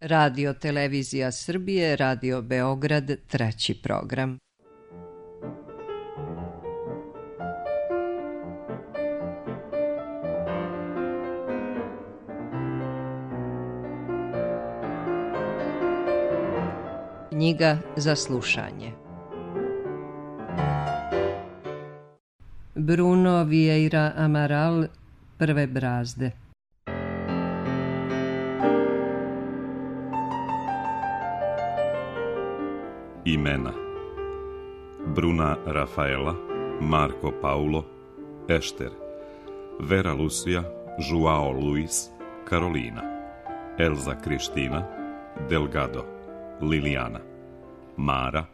Radio Televizija Srbije, Radio Beograd, treći program. Knjiga za slušanje. Bruno Vieira Amaral, Prve brazde. Imena: Bruna Rafaela, Marco Paulo, Ešter, Vera Lucia, Joao Luis, Karolina, Elza Kristina, Delgado, Lilijana, Mara,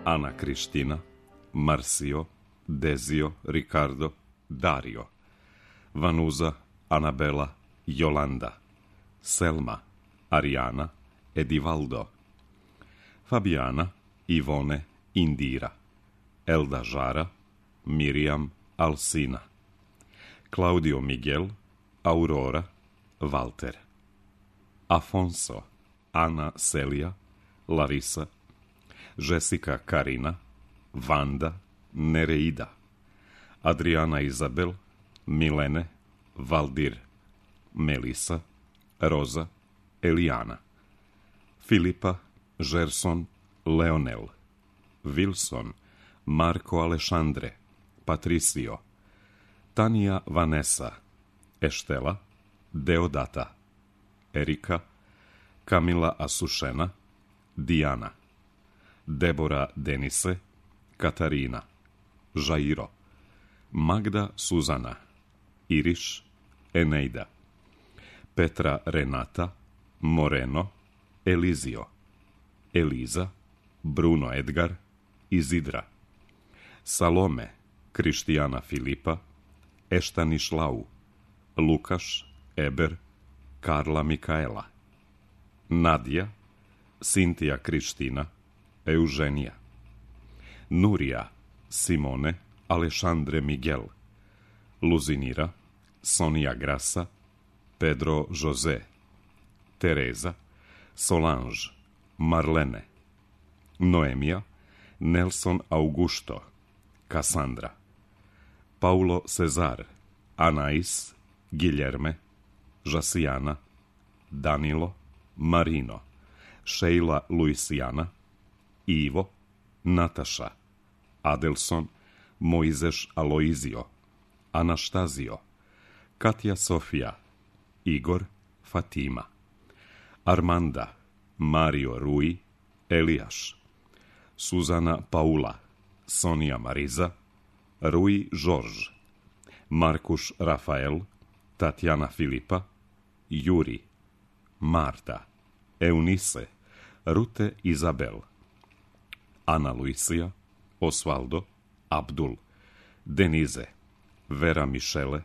Ana Kristina, Marcio, Dezio, Ricardo, Dario, Vanuza, Anabela, Jolanda, Selma, Ariana, Edivaldo, Fabiana, Ivone, Indira, Elda Žara, Miriam, Alsina, Claudio Miguel, Aurora, Walter, Afonso, Ana Celija, Larisa, Jessica Karina, Vanda, Nereida, Adriana Izabel, Milene, Valdir, Melisa, Roza, Elijana, Filipa, Žerson, Leonel, Wilson, Marko Alešandre, Patricio, Tanja Vanessa, Eštela, Deodata, Erika, Kamila Asušena, Dijana, Debora Denise, Katarina, Žairo, Magda Suzana, Iriš, Eneida, Petra Renata, Moreno, Elizio, Eliza, Bruno Edgar, Izidra, Salome, Krištijana Filipa, Eštanišlau, Lukaš, Eber, Karla Mikaela, Nadja, Sintija Kriština, Euženija, Nurija, Simone, Alešandre Miguel, Luzinira, Sonija Grasa, Pedro José, Tereza, Solange, Marlene, Noemija, Nelson Augusto, Cassandra, Paulo Cezar, Anais, Guilherme, Jasijana, Danilo, Marino, Sheila Luisijana, Ivo, Nataša, Adelson, Mojzeš Aloizio, Anaštazio, Katja Sofija, Igor, Fatima, Armanda, Mario Rui, Elijaš, Suzana Paula, Sonija Mariza, Rui Žorž, Markuš Rafael, Tatjana Filipa, Juri, Marta, Eunice, Rute Izabel, Ana Luisija, Osvaldo, Abdul, Denize, Vera Mišele,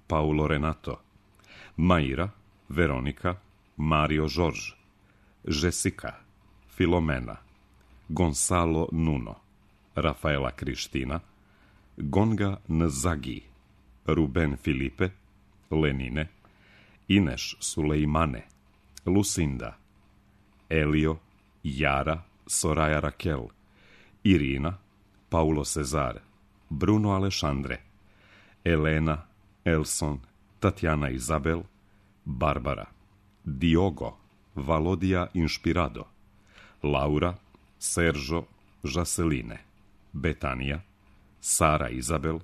Paulo Renato, Maira, Veronika, Mario Žorž, Jessica, Filomena, Gonzalo Nuno, Rafaela Kriština, Gonga Nzagi, Ruben Filipe, Lenine, Ineš Sulejmane, Lucinda, Elio, Jara, Soraya Raquel, Irina, Paulo Cezar, Bruno Alešandre, Elena, Elson, Tatjana Izabel, Barbara, Diogo, Valodija Inšpirado, Laura, Sergio, Žaseline, Betanija, Sara Izabel,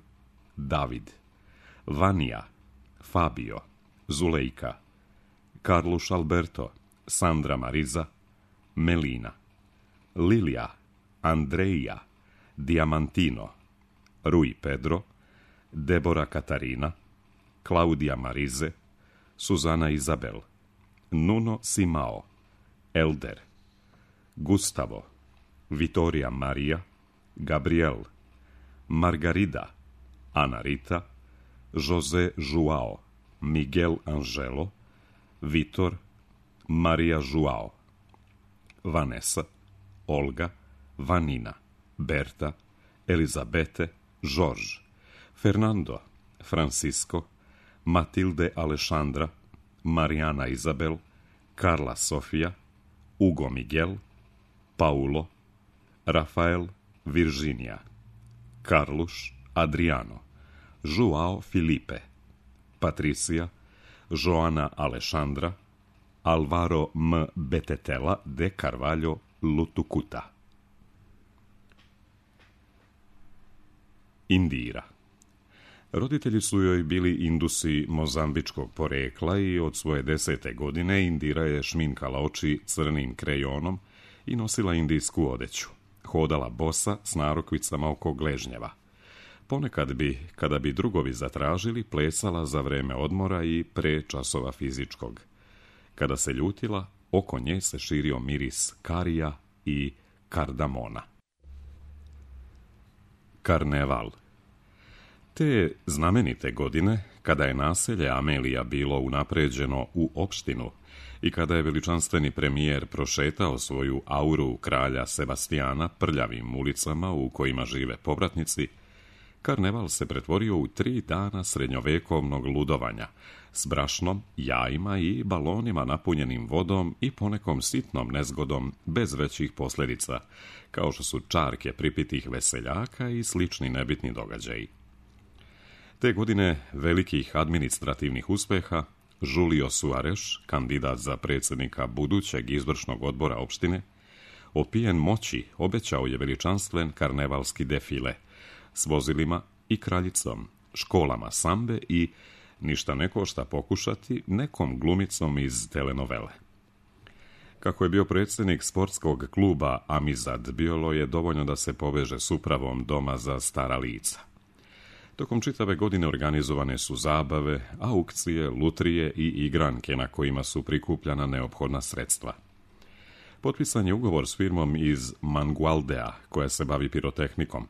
David, Vanija, Fabio, Zulejka, Carluš Alberto, Sandra Mariza, Melina, Lilija, Andreja, Diamantino, Rui Pedro, Debora Katarina, Klaudija Marize, Suzana Izabel, Nuno Simao, Elder, Gustavo, Vitorija Marija, Gabriel, Margarida, Ana Rita, José Joao, Miguel Angelo, Vitor, Marija Joao, Vanessa, Olga, Vanina, Berta, Elizabete, Jorge, Fernando, Francisco, Matilde Alexandra, Marijana Izabel, Carla Sofia, Hugo Miguel, Paulo, Rafael Virginia, Carlos Adriano, Joao Filipe, Patricia, Joana Alexandra, Alvaro M. Betetela de Carvalho Lutukuta. Indira. Roditelji su joj bili Indusi mozambičkog porekla i od svoje 10. godine Indira je šminkala oči crnim krejonom i nosila indijsku odeću. Hodala bosa s narukvicama oko gležnjeva. Ponekad bi, kada bi drugovi zatražili, plesala za vreme odmora i pre časova fizičkog. Kada se ljutila, oko nje se širio miris karija i kardamona. Karneval. Te znamenite godine, kada je naselje Amelija bilo unapređeno u opštinu i kada je veličanstveni premijer prošetao svoju auru kralja Sebastijana prljavim ulicama u kojima žive povratnici, karneval se pretvorio u 3 dana srednjovekovnog ludovanja, s brašnom, jajima i balonima napunjenim vodom i ponekom sitnom nezgodom bez većih posljedica, kao što su čarke pripitih veseljaka i slični nebitni događaji. Te godine velikih administrativnih uspeha, Julio Suarez, kandidat za predsjednika budućeg izvršnog odbora opštine, opijen moći obećao je veličanstven karnevalski defile s vozilima i kraljicom, školama sambe i, ništa ne košta pokušati, nekom glumicom iz telenovele. Kako je bio predsjednik sportskog kluba Amizad, bilo je dovoljno da se poveže s upravom doma za stara lica. Tokom čitave godine organizovane su zabave, aukcije, lutrije i igranke na kojima su prikupljana neophodna sredstva. Potpisan je ugovor s firmom iz Mangualdea, koja se bavi pirotehnikom.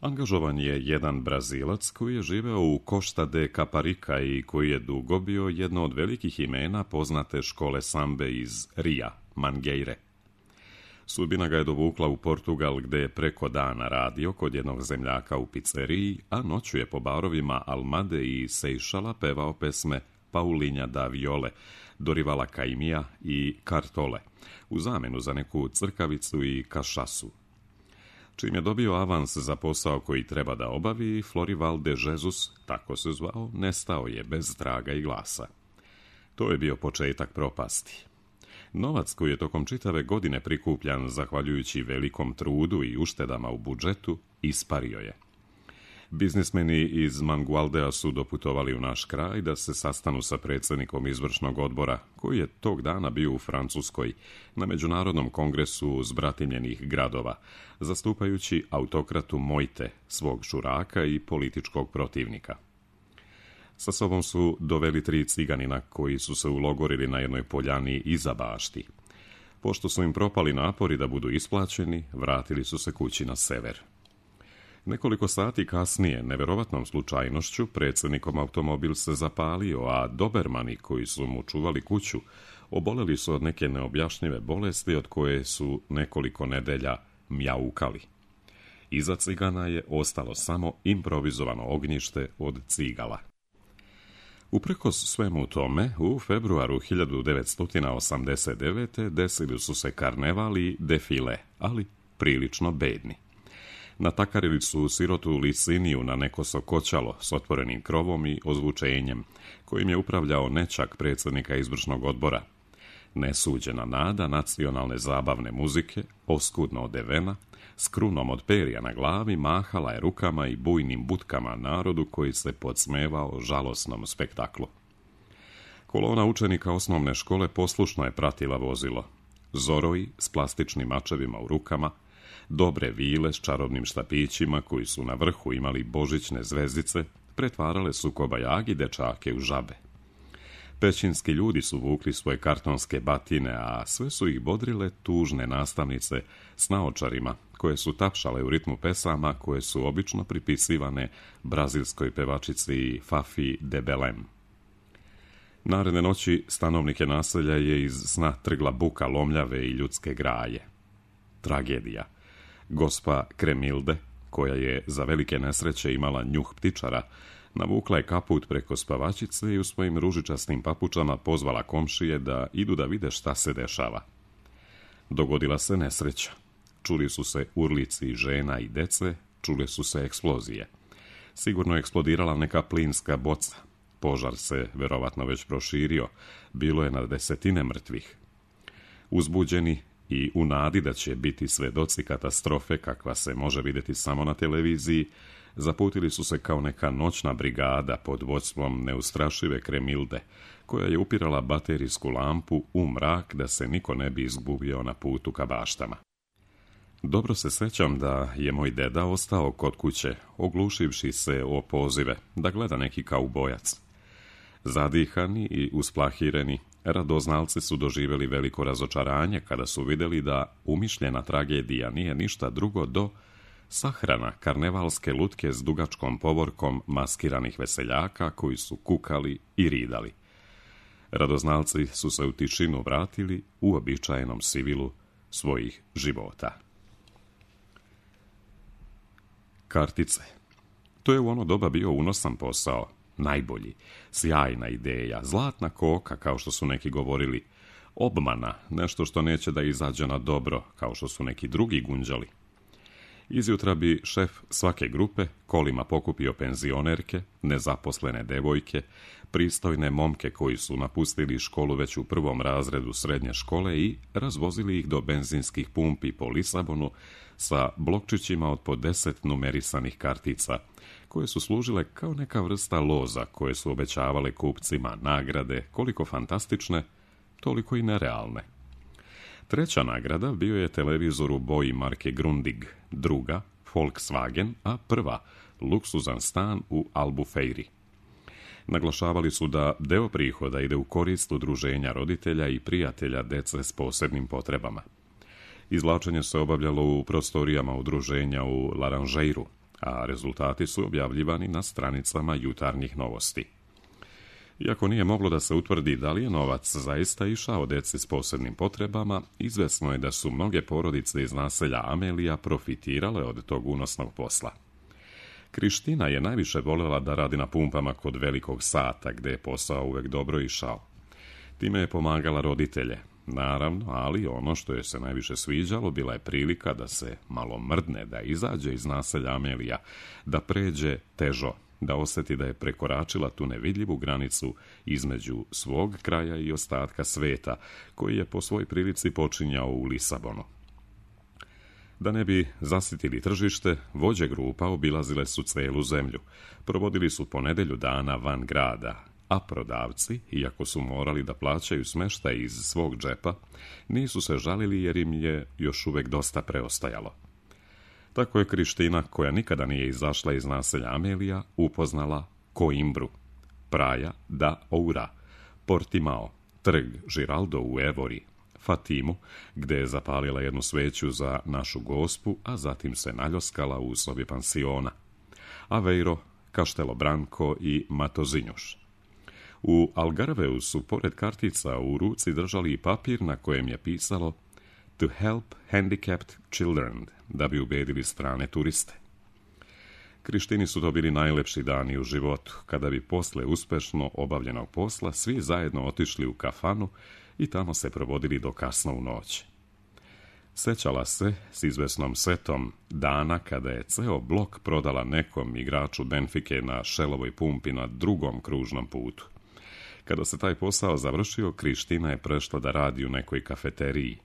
Angažovan je jedan Brazilac koji je živeo u Costa de Caparica i koji je dugo bio jedno od velikih imena poznate škole sambe iz Ria, Mangueire. Sudbina ga je dovukla u Portugal, gde je preko dana radio kod jednog zemljaka u pizzeriji, a noću je po barovima Almade i Sejšala pevao pesme Paulinha da Viole, Dorivala Caymija i Cartole, u zamenu za neku crkavicu i kašasu. Čim je dobio avans za posao koji treba da obavi, Florival de Jesus, tako se zvao, nestao je bez traga i glasa. To je bio početak propasti. Novac koji je tokom čitave godine prikupljan zahvaljujući velikom trudu i uštedama u budžetu, ispario je. Biznismeni iz Mangualdea su doputovali u naš kraj da se sastanu sa predsjednikom izvršnog odbora, koji je tog dana bio u Francuskoj, na Međunarodnom kongresu zbratimljenih gradova, zastupajući autokratu Mojte, svog šuraka i političkog protivnika. Sa sobom su doveli 3 ciganina koji su se ulogorili na jednoj poljani iza bašti. Pošto su im propali napori da budu isplaćeni, vratili su se kući na sever. Nekoliko sati kasnije, neverovatnom slučajnošću, predsjednikom automobil se zapalio, a dobermani koji su mu čuvali kuću oboleli su od neke neobjašnjive bolesti od koje su nekoliko nedelja mjaukali. Iza cigana je ostalo samo improvizovano ognjište od cigala. Uprkos svemu tome, u februaru 1989. desili su se karneval i defile, ali prilično bedni. Natakarili su sirotu Liciniju na neko sokoćalo s otvorenim krovom i ozvučenjem, kojim je upravljao nećak predsjednika izvršnog odbora. Nesuđena nada nacionalne zabavne muzike, oskudno odevena, s krunom od perja na glavi, mahala je rukama i bujnim butkama narodu koji se podsmevao žalosnom spektaklu. Kolona učenika osnovne škole poslušno je pratila vozilo. Zoroji s plastičnim mačevima u rukama, dobre vile s čarobnim štapićima koji su na vrhu imali božićne zvezdice, pretvarale su kobajagi dečake u žabe. Pećinski ljudi su vukli svoje kartonske batine, a sve su ih bodrile tužne nastavnice s naočarima, koje su tapšale u ritmu pesama koje su obično pripisivane brazilskoj pevačici Fafi de Belém. Naredne noći stanovnike naselja je iz sna trgla buka lomljave i ljudske graje. Tragedija. Gospa Kremilde, koja je za velike nesreće imala njuh ptičara, Navukla je kaput preko spavačice i u svojim ružičastim papučama pozvala komšije da idu da vide šta se dešava. Dogodila se nesreća. Čuli su se urlici žena i dece, čule su se eksplozije. Sigurno je eksplodirala neka plinska boca. Požar se verovatno već proširio, bilo je na desetine mrtvih. Uzbuđeni i u nadi da će biti svedoci katastrofe kakva se može vidjeti samo na televiziji, zaputili su se kao neka noćna brigada pod vodstvom neustrašive Kremilde, koja je upirala baterijsku lampu u mrak da se niko ne bi izgubio na putu ka baštama. Dobro se sjećam da je moj deda ostao kod kuće, oglušivši se o pozive, da gleda neki kaubojac. Zadihani i usplahireni, radoznalci su doživjeli veliko razočaranje kada su vidjeli da umišljena tragedija nije ništa drugo do sahrana karnevalske lutke s dugačkom povorkom maskiranih veseljaka koji su kukali i ridali. Radoznalci su se u tišinu vratili u običajenom sivilu svojih života. Kartice. To je u ono doba bio unosan posao, najbolji, sjajna ideja, zlatna koka, kao što su neki govorili, obmana, nešto što neće da izađe na dobro, kao što su neki drugi gunđali. Izjutra bi šef svake grupe kolima pokupio penzionerke, nezaposlene devojke, pristojne momke koji su napustili školu već u prvom razredu srednje škole i razvozili ih do benzinskih pumpi po Lisabonu sa blokčićima od po 10 numerisanih kartica, koje su služile kao neka vrsta loza koje su obećavale kupcima nagrade, koliko fantastične, toliko i nerealne. Treća nagrada bio je televizor u boji marke Grundig, druga Volkswagen, a prva luksuzan stan u Albufeiri. Naglašavali su da deo prihoda ide u korist udruženja roditelja i prijatelja dece s posebnim potrebama. Izvlačenje se obavljalo u prostorijama udruženja u Laranjeiru, a rezultati su objavljivani na stranicama jutarnjih novosti. Iako nije moglo da se utvrdi da li je novac zaista išao deci s posebnim potrebama, izvesno je da su mnoge porodice iz naselja Amelija profitirale od tog unosnog posla. Kriština je najviše voljela da radi na pumpama kod velikog sata, gde je posao uvek dobro išao. Time je pomagala roditelje, naravno, ali ono što je se najviše sviđalo bila je prilika da se malo mrdne, da izađe iz naselja Amelija, da pređe težo, da osjeti da je prekoračila tu nevidljivu granicu između svog kraja i ostatka sveta, koji je po svoj prilici počinjao u Lisabonu. Da ne bi zasitili tržište, vođe grupa obilazile su celu zemlju, provodili su po nedelju dana van grada, a prodavci, iako su morali da plaćaju smeštaj iz svog džepa, nisu se žalili jer im je još uvek dosta preostajalo. Tako je Kriština, koja nikada nije izašla iz naselja Amelija, upoznala Coimbru, Praia da Oura, Portimao, trg Giraldo u Evori, Fatimu, gde je zapalila jednu sveću za našu gospu, a zatim se naljoskala u sobi pansiona, Aveiro, Castelo Branco i Matozinhos. U Algarveu su, pored kartica, u ruci držali i papir na kojem je pisalo To help handicapped children, da bi ubedili strane turiste. Krištini su to bili najlepši dani u životu, kada bi posle uspešno obavljenog posla svi zajedno otišli u kafanu i tamo se provodili do kasno u noć. Sećala se s izvesnom setom dana kada je ceo blok prodala nekom igraču Benfike na Šelovoj pumpi na drugom kružnom putu. Kada se taj posao završio, Kriština je prešla da radi u nekoj kafeteriji.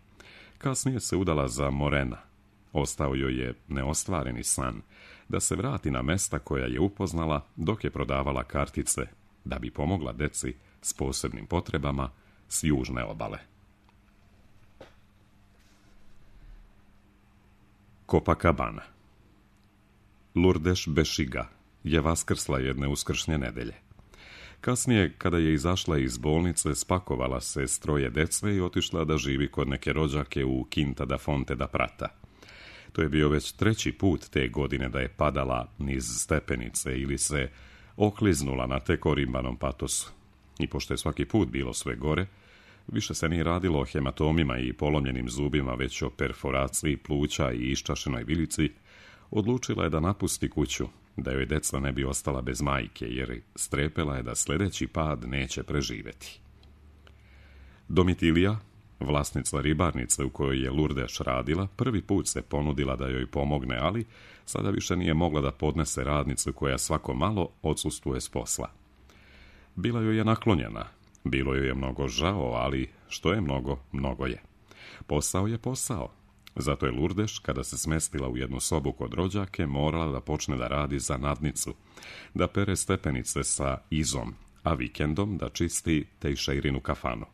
Kasnije se udala za Morena. Ostao joj je neostvareni san da se vrati na mesta koja je upoznala dok je prodavala kartice, da bi pomogla deci s posebnim potrebama s južne obale. Copacabana. Lourdes Bešiga je vaskrsla jedne uskršnje nedelje. Kasnije, kada je izašla iz bolnice, spakovala se s 3 dece i otišla da živi kod neke rođake u Quinta da Fonte da Prata. To je bio već 3. put te godine da je padala niz stepenice ili se okliznula na tekorimbanom patosu. I pošto je svaki put bilo sve gore, više se nije radilo o hematomima i polomljenim zubima, već o perforaciji pluća i iščašenoj vilici, odlučila je da napusti kuću, da joj deca ne bi ostala bez majke, jer strepela je da sljedeći pad neće preživjeti. Domitilija, vlasnica ribarnice u kojoj je Lurdeš radila, prvi put se ponudila da joj pomogne, ali sada više nije mogla da podnese radnicu koja svako malo odsustvuje s posla. Bila joj je naklonjena, bilo joj je mnogo žao, ali što je mnogo, mnogo je. Posao je posao. Zato je Lurdeš, kada se smestila u jednu sobu kod rođake, morala da počne da radi za nadnicu, da pere stepenice sa Izom, a vikendom da čisti Tejšeirinu kafanu.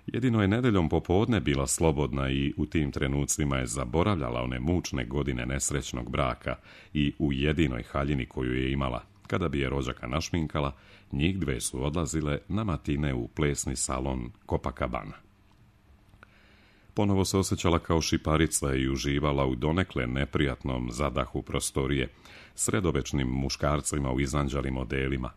Jedino je nedeljom popodne bila slobodna i u tim trenucima je zaboravljala one mučne godine nesrećnog braka i u jedinoj haljini koju je imala. Kada bi je rođaka našminkala, njih dve su odlazile na matine u plesni salon Copacabana. Ponovo se osjećala kao šiparica i uživala u donekle neprijatnom zadahu prostorije, sredovečnim muškarcima u izanđalim modelima,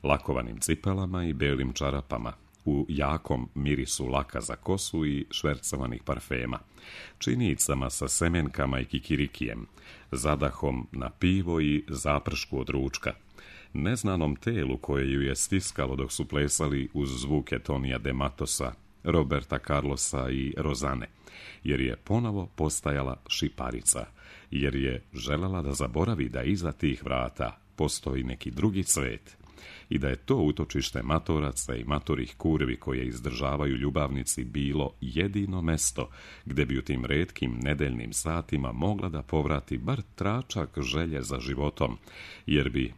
lakovanim cipelama i belim čarapama, u jakom mirisu laka za kosu i švercovanih parfema, činijicama sa semenkama i kikirikijem, zadahom na pivo i zapršku od ručka, neznanom telu koje ju je stiskalo dok su plesali uz zvuke Tonija de Matosa, Roberta Carlosa i Rozane, jer je ponovo postajala šiparica, jer je željela da zaboravi da iza tih vrata postoji neki drugi svet i da je to utočište matoraca i matorih kurvi koje izdržavaju ljubavnici bilo jedino mesto gdje bi u tim retkim nedeljnim satima mogla da povrati bar tračak želje za životom, jer bi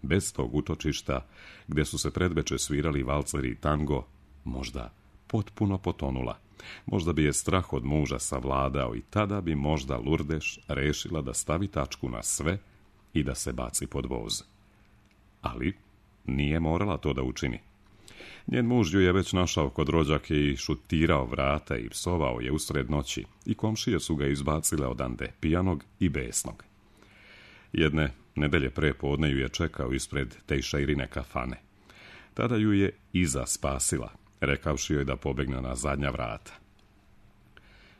bez tog utočišta, gdje su se predveče svirali valceri i tango, možda potpuno potonula. Možda bi je strah od muža savladao i tada bi možda Lurdeš rešila da stavi tačku na sve i da se baci pod voz. Ali nije morala to da učini. Njen muž ju je već našao kod rođake i šutirao vrata i psovao je usred noći i komšije su ga izbacile odande, pijanog i besnog. Jedne nedelje pre podne ju je čekao ispred Tejšeirine kafane. Tada ju je Iza spasila, rekavši joj da pobegne na zadnja vrata.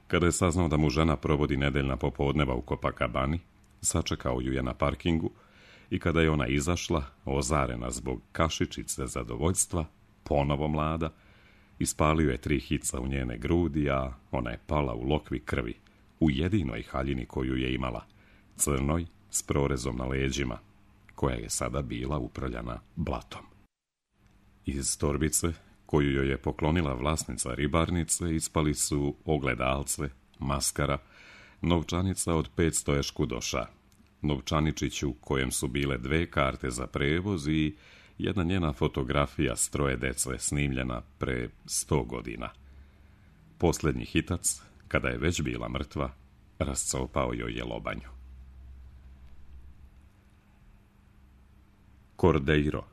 Kada je saznao da mu žena provodi nedeljna popodneva u Copacabani, sačekao ju je na parkingu i kada je ona izašla, ozarena zbog kašičice zadovoljstva, ponovo mlada, ispalio je 3 hica u njene grudi, a ona je pala u lokvi krvi, u jedinoj haljini koju je imala, crnoj s prorezom na leđima, koja je sada bila uprljana blatom. Iz torbice, koju joj je poklonila vlasnica ribarnice, ispali su ogledalce, maskara, novčanica od 500 eškudoša, novčaničić u kojem su bile 2 karte za prevoz i jedna njena fotografija s 3 dece snimljena pre 100 godina. Posljednji hitac, kada je već bila mrtva, rascopao joj je lobanju. Cordeiro.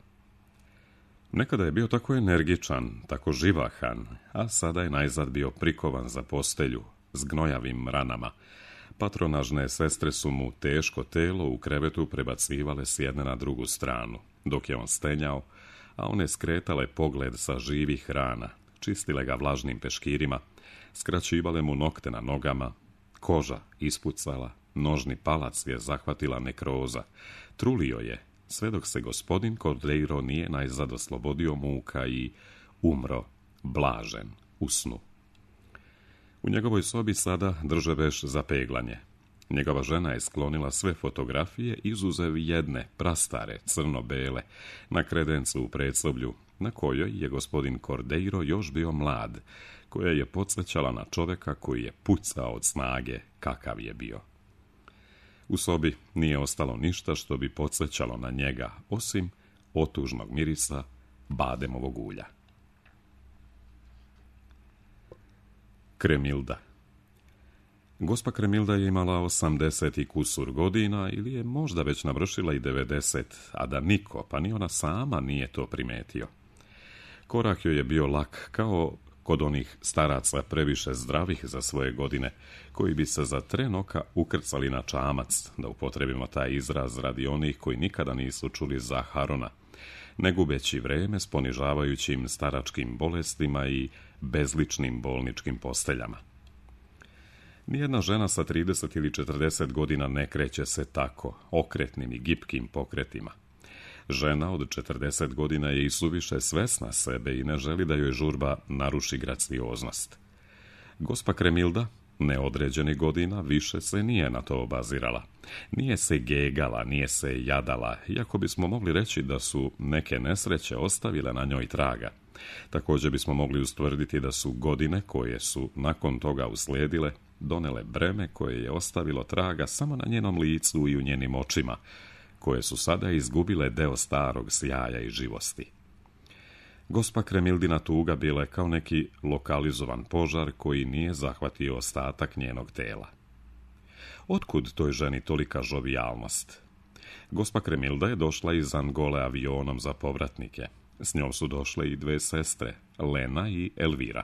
Nekada je bio tako energičan, tako živahan, a sada je najzad bio prikovan za postelju, s gnojavim ranama. Patronažne sestre su mu teško telo u krevetu prebacivale s jedne na drugu stranu, dok je on stenjao, a one skretale pogled sa živih rana, čistile ga vlažnim peškirima, skraćivale mu nokte na nogama, koža ispucala, nožni palac je zahvatila nekroza, trulio je, sve dok se gospodin Cordeiro nije najzad oslobodio muka i umro blažen u snu. U njegovoj sobi sada drže veš za peglanje. Njegova žena je sklonila sve fotografije, izuzev jedne, prastare, crno-bele, na kredencu u predsoblju, na kojoj je gospodin Cordeiro još bio mlad, koja je podsjećala na čoveka koji je pucao od snage kakav je bio. U sobi nije ostalo ništa što bi podsjećalo na njega, osim otužnog mirisa bademovog ulja. Kremilda. Gospa Kremilda je imala 80 i kusur godina ili je možda već navršila i 90, a da niko, pa ni ona sama, nije to primetio. Korak joj je bio lak, kao kod onih staraca previše zdravih za svoje godine, koji bi se za tren oka ukrcali na čamac, da upotrebimo taj izraz radi onih koji nikada nisu čuli za Harona, ne gubeći vreme s ponižavajućim staračkim bolestima i bezličnim bolničkim posteljama. Nijedna žena sa 30 ili 40 godina ne kreće se tako, okretnim i gipkim pokretima. Žena od 40 godina je i suviše svesna sebe i ne želi da joj žurba naruši gracioznost. Gospa Kremilda, neodređenih godina, više se nije na to obazirala. Nije se gegala, nije se jadala, iako bismo mogli reći da su neke nesreće ostavile na njoj traga. Također bismo mogli ustvrditi da su godine koje su nakon toga uslijedile donele breme koje je ostavilo traga samo na njenom licu i u njenim očima, koje su sada izgubile deo starog sjaja i živosti. Gospa Kremildina tuga bila je kao neki lokalizovan požar koji nije zahvatio ostatak njenog tela. Otkud toj ženi tolika žovijalnost? Gospa Kremilda je došla iz Angole avionom za povratnike. S njom su došle i dve sestre, Lena i Elvira.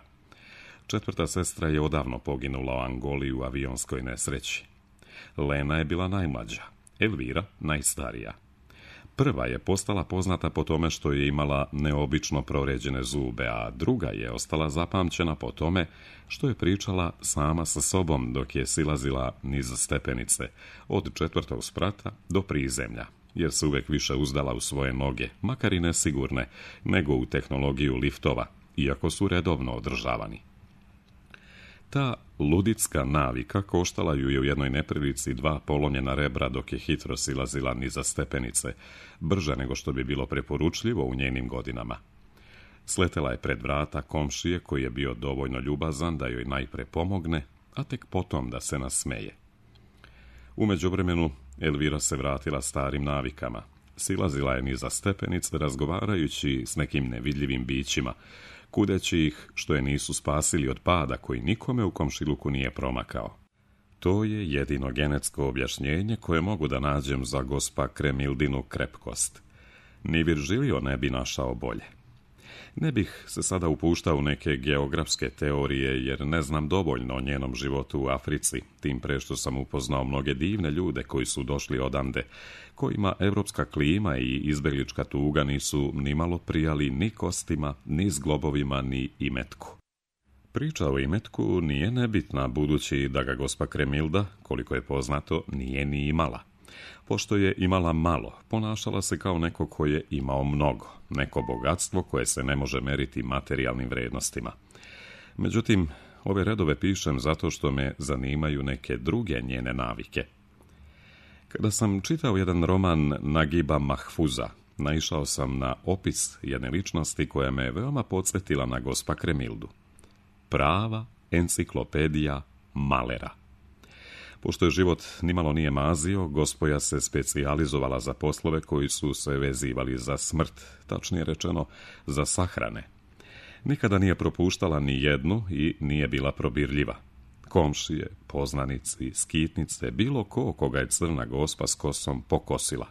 Četvrta sestra je odavno poginula u Angoli u avionskoj nesreći. Lena je bila najmlađa, Elvira najstarija. Prva je postala poznata po tome što je imala neobično proređene zube, a druga je ostala zapamćena po tome što je pričala sama sa sobom dok je silazila niz stepenice, od 4. sprata do prizemlja, jer se uvek više uzdala u svoje noge, makar i nesigurne, nego u tehnologiju liftova, iako su redovno održavani. Ta ludicka navika koštala ju je u jednoj neprilici 2 polomljena rebra dok je hitro silazila niza stepenice, brže nego što bi bilo preporučljivo u njenim godinama. Sletela je pred vrata komšije koji je bio dovoljno ljubazan da joj najpre pomogne, a tek potom da se nasmeje. U međuvremenu Elvira se vratila starim navikama. Silazila je niza stepenice razgovarajući s nekim nevidljivim bićima, kudeći ih što je nisu spasili od pada koji nikome u komšiluku nije promakao. To je jedino genetsko objašnjenje koje mogu da nađem za gospa Kremildinu krepkost. Ni Virgilio ne bi našao bolje. Ne bih se sada upuštao u neke geografske teorije jer ne znam dovoljno o njenom životu u Africi, tim pre što sam upoznao mnoge divne ljude koji su došli odande, kojima evropska klima i izbeglička tuga nisu ni malo prijali ni kostima, ni zglobovima, ni imetku. Priča o imetku nije nebitna, budući da ga gospa Kremilda, koliko je poznato, nije ni imala. Pošto je imala malo, ponašala se kao neko ko je imao mnogo, neko bogatstvo koje se ne može meriti materijalnim vrednostima. Međutim, ove redove pišem zato što me zanimaju neke druge njene navike. Kada sam čitao jedan roman Nagiba Mahfuza, naišao sam na opis jedne ličnosti koja me veoma podsjetila na gospa Kremildu. Prava enciklopedija malera. Pošto je život nimalo nije mazio, gospoja se specijalizovala za poslove koji su se vezivali za smrt, tačnije rečeno za sahrane. Nikada nije propuštala ni jednu i nije bila probirljiva. Komšije, poznanici, skitnice, bilo ko koga je crna gospa s kosom pokosila.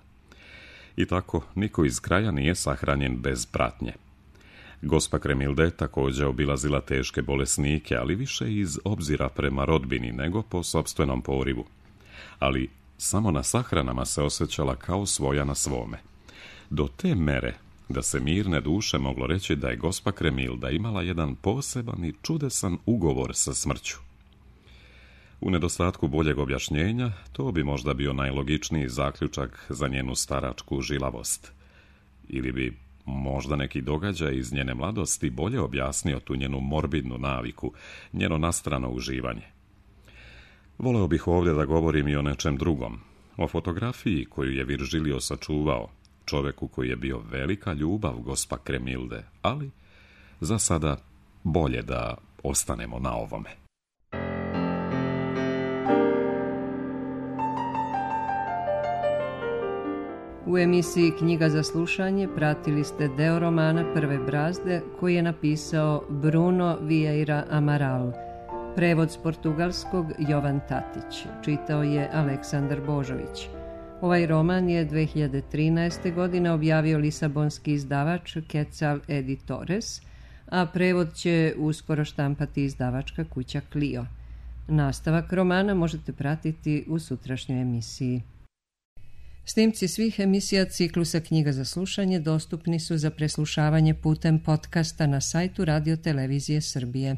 I tako niko iz kraja nije sahranjen bez pratnje. Gospa Kremilda je također obilazila teške bolesnike, ali više iz obzira prema rodbini nego po sopstvenom porivu. Ali samo na sahranama se osjećala kao svoja na svome. Do te mere da se mirne duše moglo reći da je gospa Kremilda imala jedan poseban i čudesan ugovor sa smrću. U nedostatku boljeg objašnjenja, to bi možda bio najlogičniji zaključak za njenu staračku žilavost. Ili bi možda neki događaj iz njene mladosti bolje objasnio tu njenu morbidnu naviku, njeno nastrano uživanje. Voleo bih ovdje da govorim i o nečem drugom, o fotografiji koju je Virgilio sačuvao, čoveku koji je bio velika ljubav gospa Kremilde, ali za sada bolje da ostanemo na ovome. U emisiji Knjiga za slušanje pratili ste deo romana Prve brazde koji je napisao Bruno Vieira Amaral. Prevod s portugalskog Jovan Tatić. Čitao je Aleksandar Božović. Ovaj roman je 2013. godine objavio lisabonski izdavač Quetzal Editores, a prevod će uskoro štampati izdavačka kuća Clio. Nastavak romana možete pratiti u sutrašnjoj emisiji. Snimci svih emisija ciklusa Knjiga za slušanje dostupni su za preslušavanje putem podcasta na sajtu Radio Televizije Srbije.